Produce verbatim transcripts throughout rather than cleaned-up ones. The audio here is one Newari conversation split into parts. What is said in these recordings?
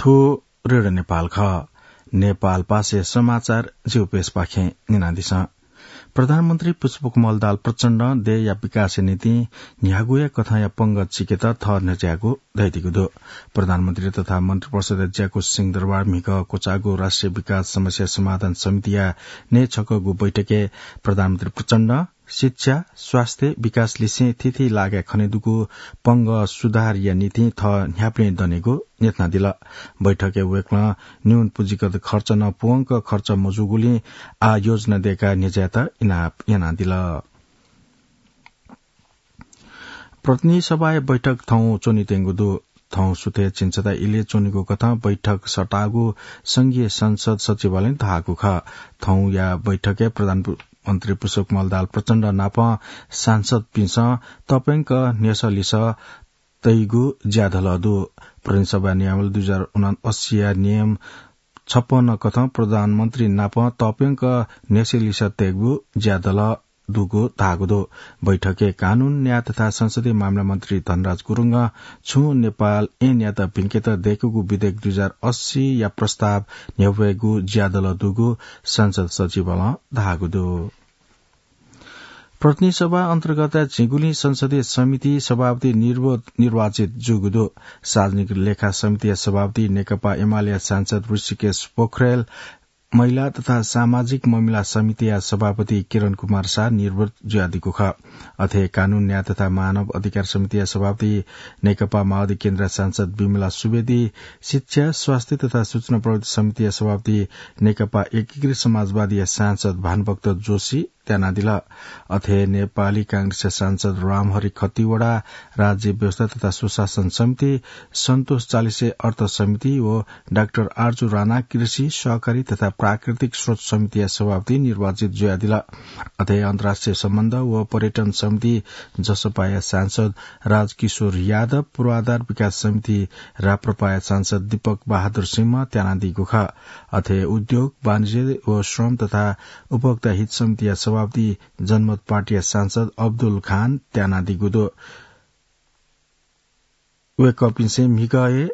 थ्व रेडियो नेपाल खः। नेपाल पासे समाचार जिगु पेजपाखें न्यनादिसँ। प्रधानमन्त्री पुष्पकमल दाहाल प्रचण्डं देय्‌या विकासया निंतिं न्ह्यागुया कथंया पंगः चिकेत थः न्ह्यज्याःगु धयादीगु दु। प्रधानमन्त्री तथा मन्त्रिपरिषदय् ज्याकू सिंहदरबार म्हिगः क्वचाःगु राष्ट्रिय विकास समस्या समाधान समितिया नये छकःगु बैठकय् प्रधानमन्त्री प्रचण्डं शिक्षा, स्वास्थ्य, विकास लिसें थीथी लागाय् खनेदुगु पंगः सुधारया निंतिं थः न्ह्याबलें दनेगु न्ह्यथनादिल। बैठकय् वय्‌कलं न्यून पुँजीगत खर्च नं पूवंक खर्च मजूगुलिं आः योजना दय्‌काः न्ह्यज्यायेत इनाप यानादिल। प्रतिनिधि सभाया बैठक थौं च्वनेत्यंगु दु। थौं सुथय् झिंछता इलय् च्वनेगु कथं बैठक सःतागु संघीय संसद सचिवालयं धाःगु खः। थौंया बैठकय् प्रधानमन्त्री पुष्पकमल दाहाल प्रचण्ड नाप सांसदपिन्सं तप्यंक न्ह्यसः लिसः तइगु ज्याधलः दु। प्रतिनिधि सभा नियमावली दुई हजार उनासीया नियम छप्पन्न कथं प्रधानमन्त्री नाप तप्यंक न्ह्यसः लिसः तइगु ज्याधलः दुगु धाःगु दु। बैठकय् कानून, न्याय तथा संसदीय मामिला मन्त्री धनराज गुरुङं छुं नेपाल ऐनयात भिंकेत दय्‌कूगु विधेयक दुई हजार अस्सीया प्रस्ताव न्ह्यब्वयेगु ज्याधलः दुगु संसद सचिवालयं धाःगु दु। प्रतिनिधि सभा अन्तर्गत झिंगुलिं संसदीय समिति सभापति निर्व-, निर्वाचित जूगु दु। सार्वजनिक लेखा समितिया सभापति नेकपा एमालेया सांसद ऋषिकेश पोखरेल, महिला तथा सामाजिक मामिला समितिया सभापति किरण कुमार शाह निर्वाचित जुयादीगु खः। अथे कानून, न्याय तथा मानव अधिकार समितिया सभापति नेकपा माओवादी केन्द्रया सांसद विमला सुवेदी, शिक्षा, स्वास्थ्य तथा सूचना प्रविधि समितिया सभापति नेकपा एकीकृत समाजवादीया सांसद भानुभक्त जोशी त्यानादिल। अथे नेपाली कांग्रेसया सांसद रामहरि खतिवडा, राज्य व्यवस्था तथा सुशासन समिति, सन्तोष चालिसे अर्थ समिति व डाक्टर आर्जु राणा कृषि, सहकारी तथा प्राकृतिक स्रोत समितिया सभापति निर्वाचित जुयादिल। अथे अन्तर्राष्ट्रिय सम्बन्ध व पर्यटन समिति जसपाया सांसद राजकिशोर यादव, पूर्वाधार विकास समिति राप्रपाया सांसद दीपक बहादुर सिंह त्यानादीगु खः। अथे उद्योग, वाणिज्य व श्रम तथा उपभोक्ता हित समितिया सभापति जनमत पार्टीया सांसद अब्दुल खान त्यानादीगु दु। वय्‌कःपिन्सं म्हिगः हे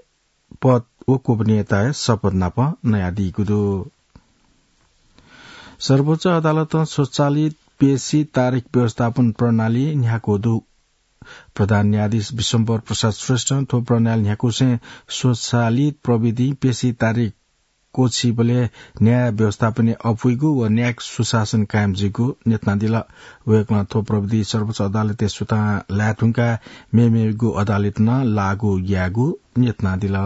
पद व गोपनीयताया शपथ नाप नयादीगु दु। सर्वोच्च अदालतं स्वचालित पेशी तारिख व्यवस्थापन प्रणाली न्ह्याकू दु। प्रधान न्यायाधीश विश्वम्भर प्रसाद श्रेष्ठं थ्व प्रणाली न्ह्याकूसें स्वचालित प्रविधिं पेशी तारिख क्वछिबलय् न्याय व्यवस्थापनय् अपुइगु व न्यायिक सुशासन कायम जुइगु न्ह्यथनादिल। वय्‌कलं थ्व प्रविधि सर्वोच्च अदालतय् सुथां लाये धुंकाः मेमेगु अदालतं नं लागू यायेगु न्ह्यथनादिल।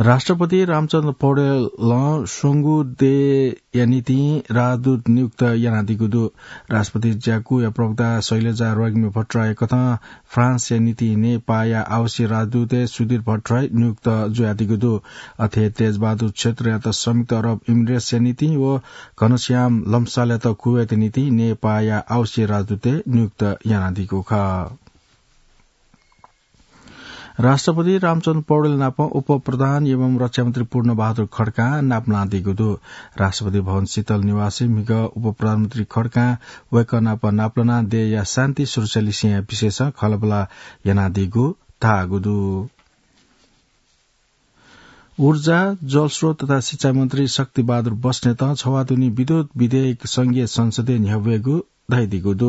राष्ट्रपति रामचन्द्र पौडेलं स्वंगू देय्‌या निंतिं राजदूत नियुक्त यानादीगु दु। राष्ट्रपति ज्याकूया प्रवक्ता शैलजा रोग्मी भट्टराई कथं फ्रान्सया निंतिं नेपाःया आवासीय राजदूतय् सुधीर भट्टराई नियुक्त जुयादीगु दु। अथे तेजबहादुर क्षेत्रयात संयुक्त अरब इमिरेट्सया निंतिं व घनश्याम लम्सालयात कुवेतया निंतिं नेपाःया आवासीय राजदूतय् नियुक्त यानादीगु खः। राष्ट्रपति रामचन्द्र पौडेल नाप उपप्रधान एवं रक्षामन्त्री पूर्णबहादुर खड्कां नापलानादीगु दु। राष्ट्रपति भवन शीतल निवासय् म्हिगः उपप्रधानमन्त्री खड्कां वय्‌कः नाप नापलानाः देय्‌या शान्ति सुरक्षा लिसेंया विषयसं खँल्हाबल्हा यानादीगु धाःगु दु। ऊर्जा, जलस्रोत तथा सिँचाइ मन्त्री शक्तिबहादुर बस्नेतं छवाः दुने विद्युत विधेयक संघीय संसदय् न्ह्यब्वयेगु धयादीगु दु।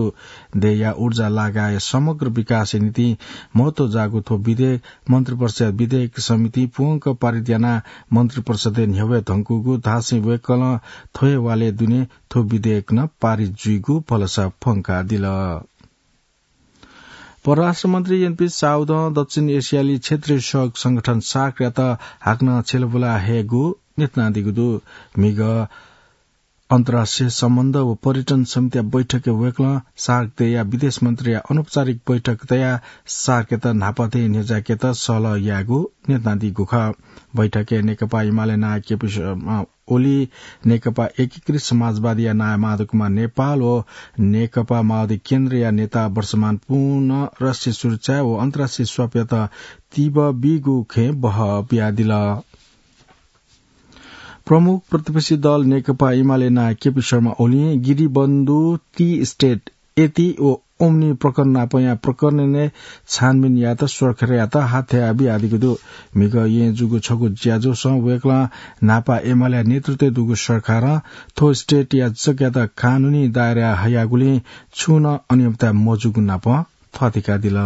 देय्‌या ऊर्जा लागाय् समग्र विकासया निंतिं महत्व जाःगु थ्व विधेयक मन्त्रिपरिषदया विधेयक समितिं पूवंक पारित यानाः मन्त्रिपरिषदय् न्ह्यब्वये धुंकूगु धासें वय्‌कलं थ्व हे वालय् दुने थ्व विधेयक नं पारित जुइगु भलसा फ्वंकादिल। परराष्ट्र मन्त्री एनपी साउदं दक्षिण एसियाली क्षेत्रीय सहयोग संगठन सार्कयात हाकनं छ्यलाबुला हयेगु न्ह्यथनादीगु दु। म्हिगः अन्तर्राष्ट्रिय सम्बन्ध व पर्यटन समितिया बैठकय् वय्‌कलं सार्क देय्‌या विदेश मन्त्रीया अनौपचारिक बैठक तयाः सार्कयात न्हापा थें न्ह्यज्याकेत सहलह यायेगु न्ह्यथनादीगु खः। बैठकय् नेकपा एमाले नायः केपी शर्मा ओली, नेकपा एकीकृत समाजवादीया नायः माधव कुमार नेपाल व नेकपा माओवादी केन्द्रया नेता वर्षमान पुनः राष्ट्रिय सुरक्षा व अन्तर्राष्ट्रिय स्वापयात तीव्र बीगु खँय् बहः बियादिल। प्रमुख प्रतिपक्षी दल नेकपा एमाले नायः केपी शर्मा ओलीं गिरिबन्धु, टी स्टेट, एटी व ओमनी प्रकरण नापया प्रकरणय् छानबिन यायेत सरकारयात हाथ्याया बियादीगु दु। म्हिगः येँ जूगु छगू ज्याझ्वलय् वय्कलं न्हापा एमालेया नेतृत्वय् दुगु सरकारं थ्व स्टेटया जग्गायात कानूनी दायराय् हयागुलिं छुं नं अनियमितता मजूगु नाप थःथिकादिल।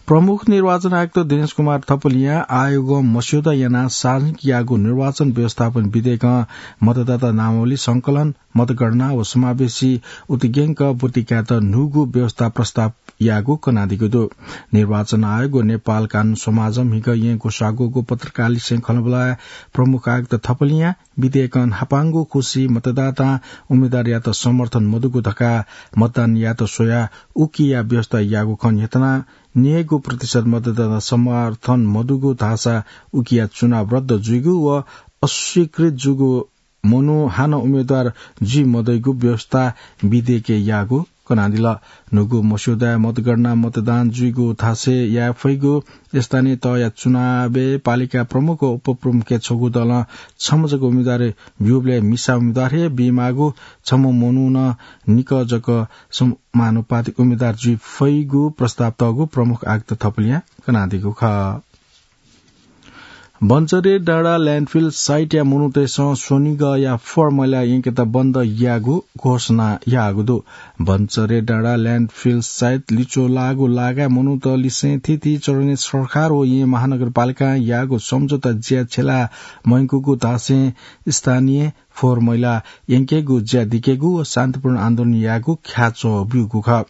प्रमुख निर्वाचन आयुक्त दिनेश कुमार थपलियां आयोगं मस्यौदा यानाः सार्वजनिक याःगु निर्वाचन व्यवस्थापन विधेयकं मतदाता नामावली संकलन, मतगणना व समावेशी उतिग्यंक ब्वति कायेत न्हूगु व्यवस्था प्रस्ताव याःगु कनादीगु दु। निर्वाचन आयोग व नेपाल कानून समाजं म्हिगः येँ ग्वसाः ग्वःगु पत्रकारलिसें खँल्हाबल्हाय् प्रमुख आयुक्त थपलियां विधेयकं न्हापांगु खुसि मतदातां उम्मेदवारयात समर्थन मदुगु धकाः मतदान यायेत स्वयाः उकिया व्यवस्था याःगु खँ न्ह्यथनाः न्यय्गू प्रतिशत मतदातां समर्थन मदुगु धाःसा उकिया चुनाव रद्द जुइगु व अस्वीकृत जूगु मनू हानं उम्मेदवार जुइ मदइगु व्यवस्था विधेयकय् याःगु कनादिल। न्हूगु मस्यौदाय् मतगणना मतदान जुइगु थासय् याये फइगु स्थानीय तहया चुनावय् पालिका प्रमुख व उपप्रमुखय् छगू दलं छम्ह जक उम्मेदवार ब्यूबलय् मिसा उम्मेदवार हे बीमाःगु, छम्ह मनुखं निकः जक समानुपातिक उम्मेदवार जुइ फइगु प्रस्ताव तःगु प्रमुख आयुक्त थपलियां कनादीगु खः। बन्चरे डाँडा ल्यान्डफिल साइटया मनूतय्सं स्वनिगःया फोहोर मैला यंकेत बन्द याःगु घोषणा याःगु दु। बन्चरे डाँडा ल्यान्डफिल साइट लिच्वः लाःगु लागाय् मनूत लिसें थीथी चरणय् सरकार व येँ महानगरपालिकां याःगु सम्झौता ज्या छ्यला मयंकूगु धासें स्थानीय फोहोर मैला यंकेगु ज्या दिकेगु व शान्तिपूर्ण आन्दोलन यायेगु ख्याच्वः ब्यूगु खः।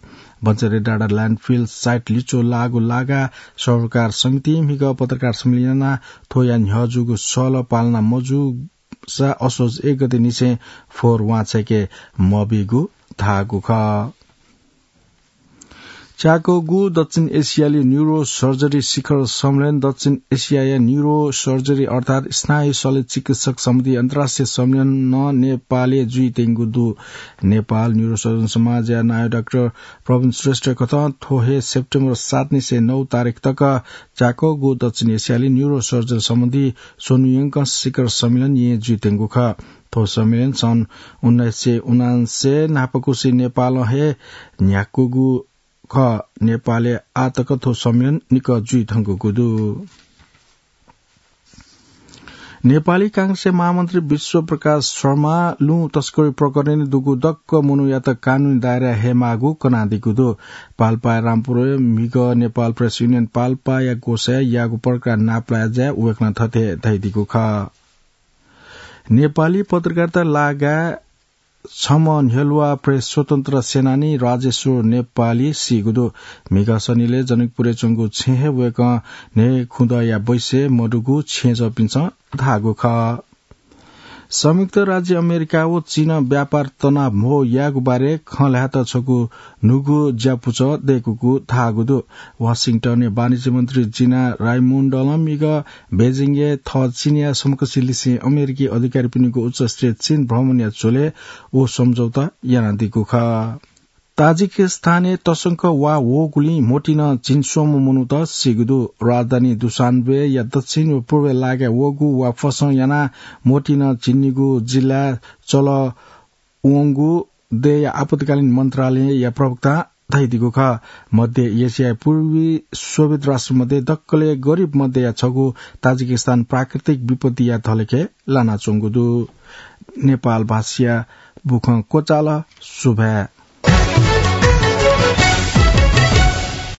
बन्चरे डाँडा ल्यान्डफिल साइट लिच्वः लाःगु लागाय् सरोकार समितिं म्हिगः पत्रकार सम्मेलन यानाः थ्वया न्ह्यः जूगु सहलह पालना मजूसा असोज एक गते निसें फोहोर वांछ्वय्के मबीगु धाःगु खः। च्याकःगु दक्षिण एसियाली न्युरो सर्जरी शिखर सम्मेलन दक्षिण एसियाया न्युरो सर्जरी अर्थात् स्नायु शल्य चिकित्सक सम्बन्धी अन्तर्राष्ट्रिय सम्मेलन नं नेपालय् जुइत्यंगु दु। नेपाल न्युरो सर्जन समाजया नायः डाक्टर प्रवीण श्रेष्ठ कथं थ्व हे सेप्टेम्बर सात निसें नौ तारिख तक च्याकःगु दक्षिण एसियाली न्युरो सर्जन सम्बन्धी स्वन्हुयंकं शिखर सम्मेलन येँ जुइत्यंगु खः। थ्व सम्मेलन सन् उन्नाइस सय उनान्सय न्हापाकुसे नेपालं हे न्ह्याकूगु खः। नेपालय् आः तक थ्व सम्मेलन निकः जुइधुंकूगु दु। नेपाली कांग्रेसया महामन्त्री विश्वप्रकाश शर्मां लुँ तस्करी प्रकरणय् दुगु दक्व मनूयात कानूनी दायराय् हयेमाःगु कनादीगु दु। पाल्पाया रामपुरय् म्हिगः नेपाल प्रेस युनियन पाल्पाया ग्वसाय् याःगु पत्रकार नापलाये ज्याय् वय्कलं थथे धयादीगु खः। नेपाली पत्रकारिता लागाय् छम्ह न्ह्यलुवा प्रेस स्वतन्त्र सेनानी राजेश्वर नेपाली सीगु दु। म्हिगः शनिलय् जनकपुरय् च्वंगु छेँय् हे वय्कः न्हय्खुदँया बैसय् मदुगु छेँजःपिन्सं धाःगु खः। संयुक्त राज्य अमेरिका व चीनं व्यापार तनाव म्हो यायेगु बारे खँ ल्हायेत छगू न्हूगु ज्यापुचः दय्कूगु धाःगु दु। वाशिंटनय् वाणिज्य मन्त्री जिना राइमुण्डलं म्हिगः बेजिङय् थः चीनया समकक्षलिसें अमेरिकी अधिकारीपिनिगु उच्चस्तरीय चीन भ्रमणया झ्वलय् व सम्झौता यानादीगु खः। ताजिकिस्तानय् तसकं वा वःगुलिं म्होतिनं झिंस्वम्ह मनूत सीगु दु। राजधानी दुशान्बेया दक्षिण व पूर्वय् लागाय् वःगु वा फसं यानाः म्होतिनं झिंनिगू जिल्लाय् चलः वंगु देय्या आपतकालीन मन्त्रालयया प्रवक्तां धयादीगु खः। मध्य एसियाय् पूर्वी सोभियत राष्ट्रमध्ये दकलय् गरिब मध्येया छगू ताजिकिस्तान प्राकृतिक विपत्तिया धलेखय् लानाच्वंगु दु। नेपाल भाषाया बुखँ क्वचाल। सुभाय्।